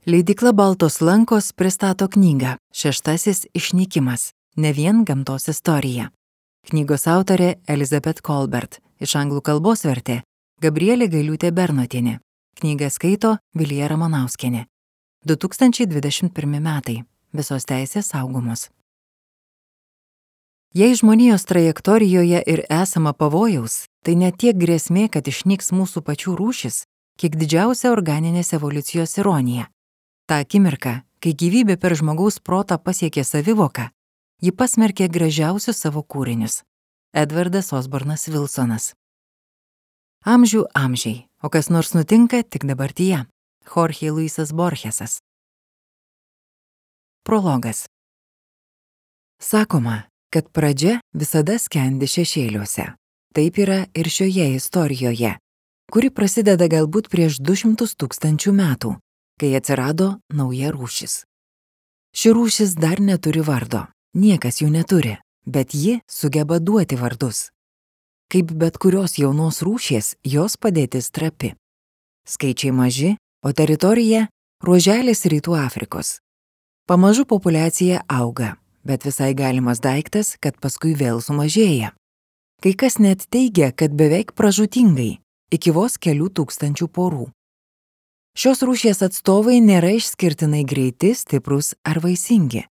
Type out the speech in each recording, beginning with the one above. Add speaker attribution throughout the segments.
Speaker 1: Leidykla Baltos lankos pristato knygą Šeštasis išnykimas – ne vien gamtos istorija. Knygos autorė Elizabeth Kolbert, iš anglų kalbos vertė Gabrielė Gailiūtė-Bernotienė. Knygą skaito Vilija Ramanauskienė. 2021 metai. Visos teisės saugomos. Jei žmonijos trajektorijoje ir esama pavojaus, tai ne tiek grėsmė, kad išnyks mūsų pačių rūšis, kiek didžiausia organinės evoliucijos ironija. Ta akimirka, kai gyvybė per žmogaus protą pasiekė savivoką, ji pasmerkė gražiausius savo kūrinius. Edvardas Osbornas Wilsonas. Amžių amžiai, o kas nors nutinka tik dabartyje. Jorge Luisas Borgesas. Prologas. Sakoma, kad pradžia visada skendi šešėliuose. Taip yra ir šioje istorijoje, kuri prasideda galbūt prieš 200 000 metų, kai atsirado nauja rūšis. Ši rūšis dar neturi vardo, niekas jų neturi, bet ji sugeba duoti vardus. Kaip bet kurios jaunos rūšies, jos padėtis trapi. Skaičiai maži, o teritorija – ruoželis Rytų Afrikos. Pamažu populiacija auga, bet visai galimas daiktas, kad paskui vėl sumažėja. Kai kas net teigia, kad beveik pražūtingai, iki vos kelių tūkstančių porų. Šios rūšies atstovai nėra išskirtinai greiti, stiprus ar vaisingi,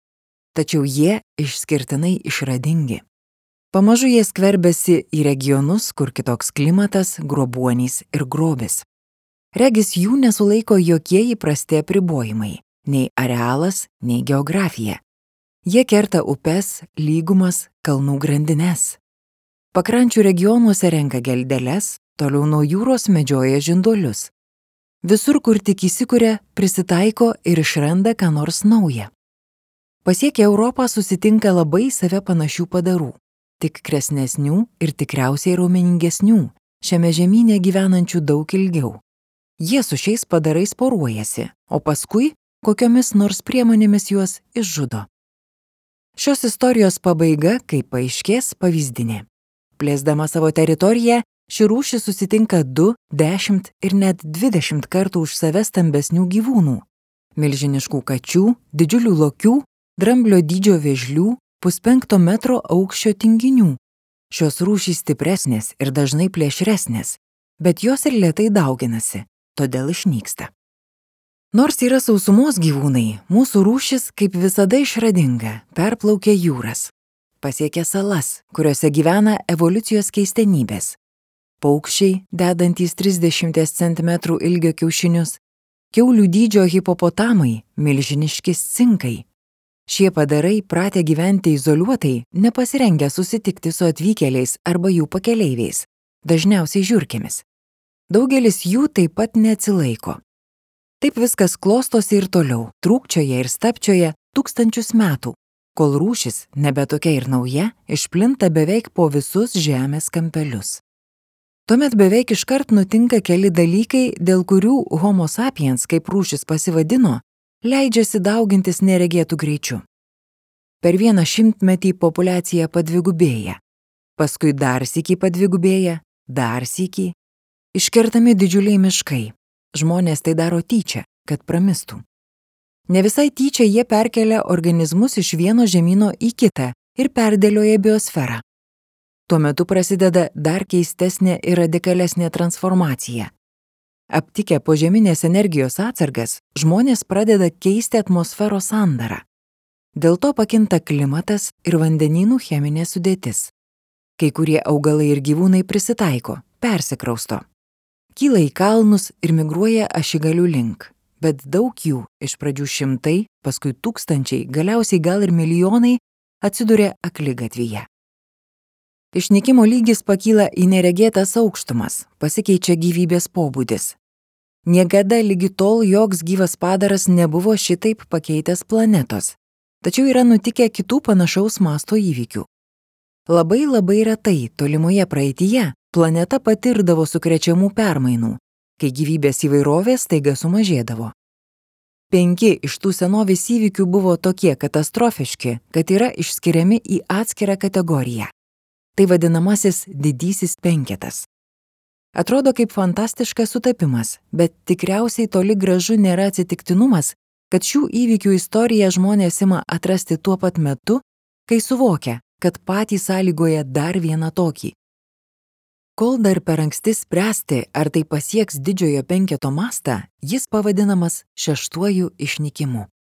Speaker 1: tačiau jie išskirtinai išradingi. Pamažu jie skverbiasi į regionus, kur kitoks klimatas, grobuonys ir grobis. Regis jų nesulaiko jokie įprasti apribojimai, nei arealas, nei geografija. Jie kerta upes, lygumas, kalnų grandines. Pakrančių regionuose renka geldeles, toliau nuo jūros medžioja žinduolius. Visur, kur tik įsikuria, prisitaiko ir išranda ką nors naują. Pasiekę Europą susitinka labai save panašių padarų, tik kresnesnių ir tikriausiai raumeningesnių, šiame žemyne gyvenančių daug ilgiau. Jie su šiais padarais poruojasi, o paskui kokiomis nors priemonėmis juos išžudo. Šios istorijos pabaiga, kaip paaiškės, pavyzdinė. Plėsdama savo teritoriją, ši rūšis susitinka 2, 10 ir net 20 kartų už save stambesnių gyvūnų – milžiniškų kačių, didžiulių lokių, dramblio dydžio vėžlių, 1,5 metro aukščio tinginių. Šios rūšys stipresnės ir dažnai plėšresnės, bet jos ir lėtai dauginasi, todėl išnyksta. Nors yra sausumos gyvūnai, mūsų rūšis, kaip visada išradinga, perplaukia jūras. Pasiekia salas, kuriuose gyvena evoliucijos keistenybės. Paukščiai, dedantys 30 cm ilgio kiaušinius, kiaulių dydžio hipopotamai, milžiniški cinkai. Šie padarai pratę gyventi izoliuotai, nepasirengę susitikti su atvykėliais arba jų pakeleiviais, dažniausiai žiurkėmis. Daugelis jų taip pat neatsilaiko. Taip viskas klostosi ir toliau, trūkčioja ir stapčioja tūkstančius metų, kol rūšis, nebe tokia ir nauja, išplinta beveik po visus žemės kampelius. Tuomet beveik iškart nutinka keli dalykai, dėl kurių Homo sapiens, kaip rūšis pasivadino, leidžiasi daugintis neregėtų greičiu. Per 100 metį populiacija padvigubėja, paskui dar sykį padvigubėja, dar sykį. Iškertami didžiuliai miškai. Žmonės tai daro tyčia, kad pramistų. Ne visai tyčia jie perkelia organizmus iš vieno žemyno į kitą ir perdėlioja biosferą. Tuo metu prasideda dar keistesnė ir radikalesnė transformacija. Aptikę požeminės energijos atsargas, žmonės pradeda keisti atmosferos sandarą. Dėl to pakinta klimatas ir vandenynų cheminė sudėtis. Kai kurie augalai ir gyvūnai prisitaiko, persikrausto. Kyla į kalnus ir migruoja ašigalių link, bet daug jų, iš pradžių šimtai, paskui tūkstančiai, galiausiai gal ir milijonai, atsiduria akligatvyje. Išnykimo lygis pakyla į neregėtas aukštumas, pasikeičia gyvybės pobūdis. Niekada lygi tol joks gyvas padaras nebuvo šitaip pakeitęs planetos, tačiau yra nutikę kitų panašaus masto įvykių. Labai retai tolimoje praeityje planeta patirdavo sukrečiamų permainų, kai gyvybės įvairovė staiga sumažėdavo. 5 iš tų senovės įvykių buvo tokie katastrofiški, kad yra išskiriami į atskirą kategoriją. Tai vadinamasis didysis penketas. Atrodo kaip fantastiškas sutapimas, bet tikriausiai toli gražu nėra atsitiktinumas, kad šių įvykių istoriją žmonės ima atrasti tuo pat metu, kai suvokia, kad patys sąlygoja dar vieną tokį. Kol dar per anksti spręsti, ar tai pasieks didžiojo penketo mastą, jis pavadinamas šeštuoju išnykimu.